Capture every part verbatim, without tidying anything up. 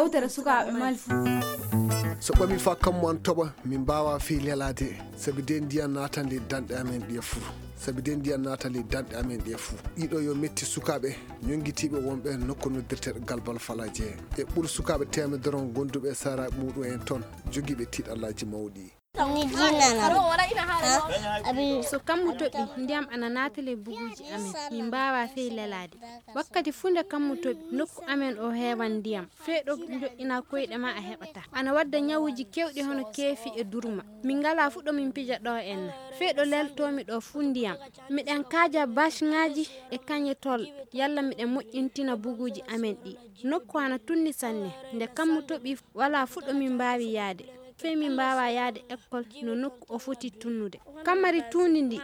Yewtere sukaaɓe Mali fuu. So ɓami faa kammu an toɓa, min mbaawaa fii lelaade, sabi de ndiyam naatan ley danɗe amen ɗiya fuu. Sabi de ndiyam naatan ley danɗe amen ɗiya fuu. Ɗiɗo yo metti sukaaɓe ñonngitiiɓe wonɓe nokku noddirteeɗo Galbal Falaaje. E ɓur sukaaɓe teemedere on gonduɓe e saaraaɓe muuɗum en ton, jogiiɓe tiiɗallaaji mawɗi. Mi jinnana ɗum. Ha? Abi. So kammu toɓi, ndiyam ana naata ley buguuji amen. Min mbaawaa fey lelaade. Wakkati fuu nde kammu toɓi, nokku amen o heewan ndiyam. Fey ɗo njo'inaa koyɗe maa a heɓataa. Ana wadda ñawuuji keewɗi hono keefi e durma. Min ngalaa fuu ɗo min pija ɗo enna. Fey ɗo leltoomi ɗo fuu ndiyam. Miɗen kaaja baasŋaaji e kañe tol, yalla miɗen moƴƴintina buguuji amen ɗi. Nokku ana tunni sanne. Nde kammu toɓi, walaa fuu ɗo min mbaawi yaade. Fey min mbaawaa yaade ekkol no nokku o foti tunnude. Kammari tuundi ndi,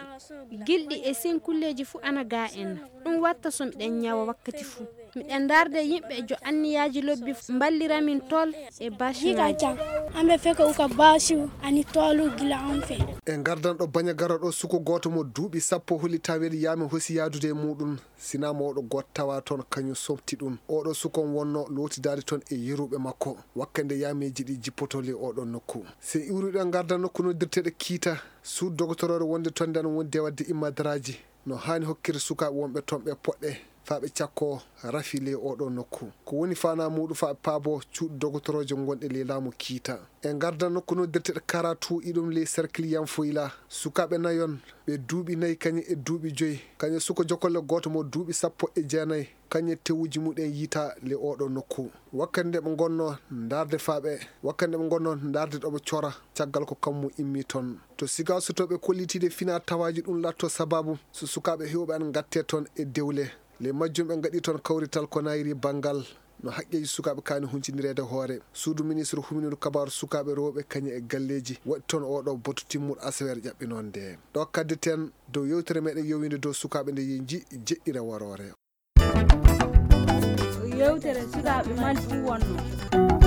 gilɗi e sinkulleeji fuu ana gaa en. Ɗum watta so miɗen ñawa wakkati fuu. Miɗen ndaarde yimɓe jo anniyaaji lobbi mballira min tol e baasŋaaji. Jigajang, ambe feke uka basu ani tolu gila on fe. E ngardan ɗo Bañagara ɗo, suko gooto mo duuɓi sappo holi tawel yaami hosi yaadude e muuɗum. Sinaa mo oɗo gooto tawa ton, kañum somti ɗum. Oɗo sukon wonno lootidaade ton e yeruɓe makko, wakkande yaameeji ɗi jippotoo ley oɗo nokku. Si iwruɗen ngarda nokku noddirteeɗo Kiita, suudu dogotoroore wonde ton nden wonde wadde immadaraaji no haani hokkirde sukaaɓe wonɓe ton ɓe poɗɗe faa ɓe cakkoo rafi ley oɗo nokku. Ko woni faanaa muuɗum faa ɓe paaboo cuuɗi dogotorooje gonɗe ley laamu Kiita. E ngarda nokku noddirteeɗo Karatu, iɗum ley serkil Yanfoyla. Sukaaɓe nayon, ɓe duuɓi nayi kañum e duuɓi joyi. Kañum suko jokolle gooto mo duuɓi sappo e jeenayi. Kañum tewuuji muɗum yiita ley oɗo nokku. Wakkati nde ɓe ngonno ndaarde faa ɓe, wakkati nde ɓe ngonno ndaarde ɗo ɓe cora, caggal ko kammu immi ton. To siga so to ɓe kollitiide fina tawaaji ɗum latto sababu so sukaaɓe heewɓe an ngatte ton e dewle. Ley majjum ɓe ngaɗi ton kawrital ko nayri banngal no haqqeeji sukaaɓe kaani huncindireede hoore. Suudu ministre humindu kabaaru sukaaɓe rewɓe kañum e galleeji waɗi ton oɗo batu timmuɗo asaweere ƴaɓɓinoonde. Ɗo kaddeten dow yewtere meɗen yowinde dow sukaaɓe nde yeñji jeɗɗire waroore. Yewtere sukaaɓe Mali fuu wonno.